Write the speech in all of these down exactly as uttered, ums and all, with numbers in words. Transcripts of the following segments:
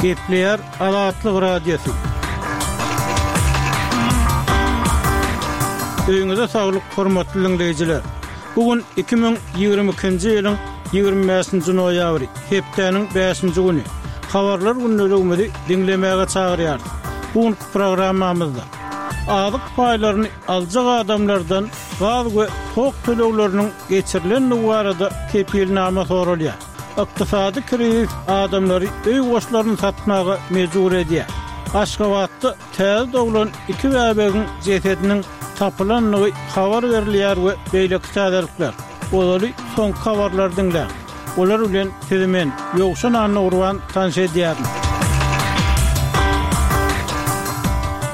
Gepleýär Azatlyk Radiosy. Öýüňize saglyk, hormatly diňleýjiler. Bu gün iki müň ýigrimi ikinji ýylyň ýigrimi bäşinji noýabry, hepdäniň bäşinji güni. Habarlar gündeligimizi diňlemäge çagyrýarys. Bu günki programmamyzda azyk paýlaryny aljak adamlardan gaz we tok tölegleriniň geçirilendigi barada kepilnama soralýar. Ykdysady krizis adamlary öý goşlaryny satmaga mejbur edýär. Aşgabatda täze doglan iki bäbegiň jesediniň tapylandygy habar berilýär we beýleki täzelikler. Ozaly soňky habarlary diňläň. Olar bilen sizi men, Ýowşan Annagurban tanyş edýärin.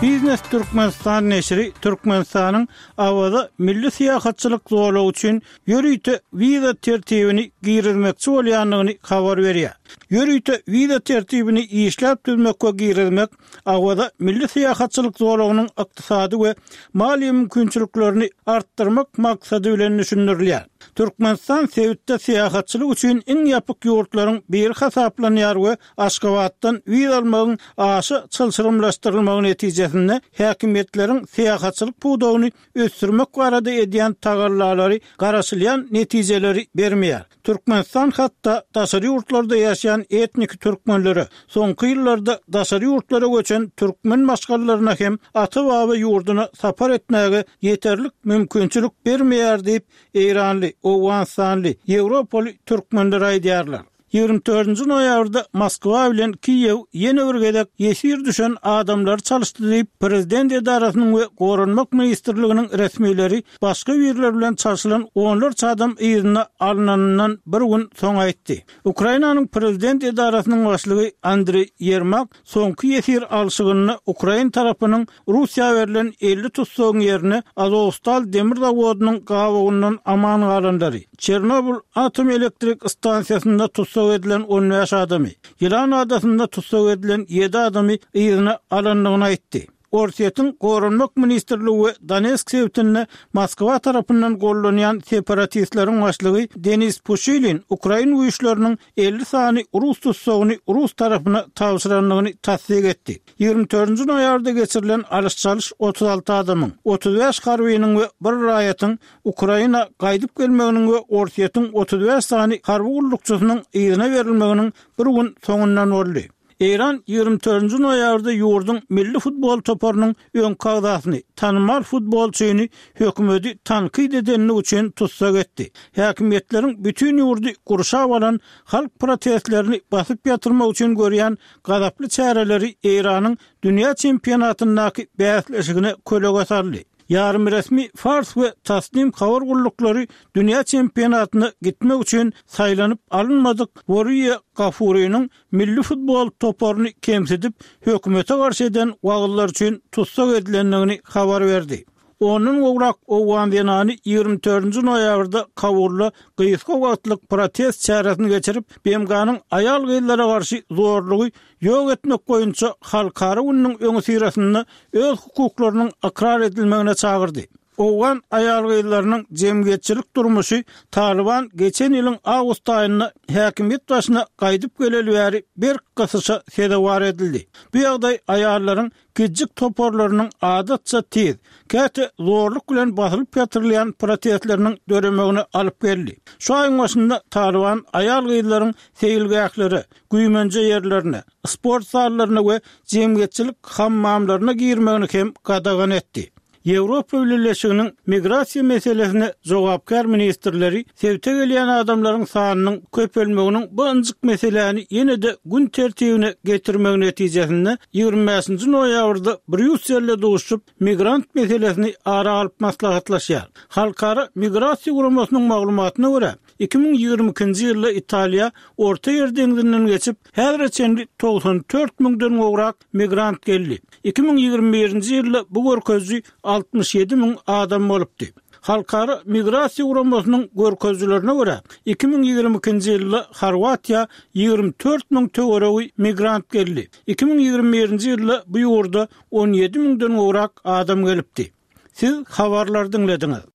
Biznes Türkmenistan neşiri Türkmenistanyň Awaza milli syýahatçylyk zolagy üçin ýörite wiza tertibini girizmekçi bolýandygyny habar berýär. Ýörite wiza tertibini işläp düzmek we girizmek Awaza milli syýahatçylyk zolagynyň ykdysady we maliýe mümkinçiliklerini artdyrmak maksady bilen düşündirilýär. Türkmenistan sebitde syýahatçylyk üçin iň ýapyk ýurtlaryň biri hasaplanýar we Aşgabatdan wiza almagyň aşa çylşyrymlaşdyrylmagy netijesinde häkimiýetleriň syýahatçylyk pudagyny ösdürmek barada edýän tagallalary garaşylýan netijeleri bermeýär. Türkmenistan hatda daşary ýurtlarda ýaşaýan etniki türkmenlere, soňky ýyllarda daşary ýurtlara göçen türkmen maşgalalaryna hem ata-baba ýurduna sapar etmäge ýeterlik mümkinçilik bermeýär diýip, eýranly, owganystanly, ýewropaly türkmenler aýdýarlar. Ýigrimi dördünji noýabrda Moskwa bilen Kiýew ýene bir gezek ýesir düşen adamlary çalyşdy diýip, prezident edarasynyň we Goranmak ministrliginiň resmileri başga birleri bilen çalşylan onlarça adam yzyna alnanyndan bir gün soň aýtdy. Ukrainanyň prezident edarasynyň başlygy Andriý Ýermak soňky ýesir alşygynda ukrain tarapynyň Russiýa berlen elli tussagyň ýerine Azowstal demir zawodynyň gabawyndan aman galanlary, Çernobyl atom elektrik stansiýasynda tussag edilen on bäş adamy, Ýylan adasynda tussag edilen ýedi adamy yzyna alandygyny aýtdy. Orsýetiň Goranmak ministrligi we Donetsk sebitinde Moskwa tarapyndan gollanýan separatistleriň başlygy Denis Puşilin ukrain güýçleriniň elli sany rus tussagyny rus tarapyna tabşyrandygyny tassyk etdi. Ýigrimi dördünji noýabrda geçirilen alyş-çalyş otuz alty adamyň, otuz bäş harbynyň we bir raýatyň Ukraina gaýdyp gelmeginiň we Orsýetiň otuz bäş sany harby gullukçysynyň yzyna berilmeginiň bir gün soňundan boldy. Eýran ýigrimi dördünji noýabrda ýurduň milli futbol toparynyň öňki agzasyny, tanymal futbolçyny hökümeti tankyt edenligi üçin tussag etdi. Häkimiýetleriň bütin ýurdy gurşap alan halk protestlerini basyp ýatyrmak üçin görýän gazaply çäreleri Eýranyň dünýä çempionatyndaky bäsleşigine kölege saldy. Ýarymresmi Fars we Tasnim habar gulluklary dünýä çempionatyna gitmek üçin saýlanyp alynmadyk Woriýa Gafurynyň milli futbol toparyny kemsidip, hökümete garşy eden wagyzlary üçin tussag edilendigini habar berdi. Ondan gowrak owgan zenany ýigrimi dördünji noýabrda Kabulda gysga wagtlyk protest çäresini geçirip, B M G-nyň aýal-gyzlara garşy zorlugy ýok etmek boýunça halkara gününiň öňüsyrasynda öz hukuklarynyň ykrar edilmegine çagyrdy. Owgan aýal-gyzlarynyň jemgyýetçilik durmuşy Talyban geçen ýylyň awgust aýynda häkimiýet başyna gaýdyp geleli bäri berk gysyşa sezewar edildi. Bu ýagdaý aýallaryň kiçijik toparlarynyň adatça tiz, käte zorluk bilen basylyp ýatyrylýan protestleriniň döremegine alyp geldi. Şu aýyň başynda Talyban aýal-gyzlaryň seýilgählere, güýmenje ýerlerine, sport zallaryna we jemgyýetçilik hammamlaryna girmegini hem gadagan etdi. Ýewropa Bileleşiginiň migrasiýa meselesine jogapkär ministrleri sebite gelýän adamlaryň sanynyň köpelmeginiň bu ynjyk meseläni ýene-de gün tertibine getirmegi netijesinde ýigrimi bäşinji noýabrda Brýusselde duşup, migrant meselesini ara alyp maslahatlaşýar. Halkara migrasiýa guramasynyň maglumatyna görä, iki müň ýigrimi ikinji ýylda Italiýa Orta Ýer deňzinden geçip, häzire çenli togsan dört müňden gowrak migrant geldi. Iki müň ýigrimi birinji ýylda bu görkeziji altmyş ýedi müň adam bolupdy. Halkara migrasiýa guramasynyň görkezijilerine görä, iki müň ýigrimi ikinji ýylda Horwatiýa ýigrimi dört müň töweregi migrant geldi. Iki müň ýigrimi birinji ýylda bu ýurda on ýedi müňden gowrak adam gelipdi. Siz habarlary diňlediňiz.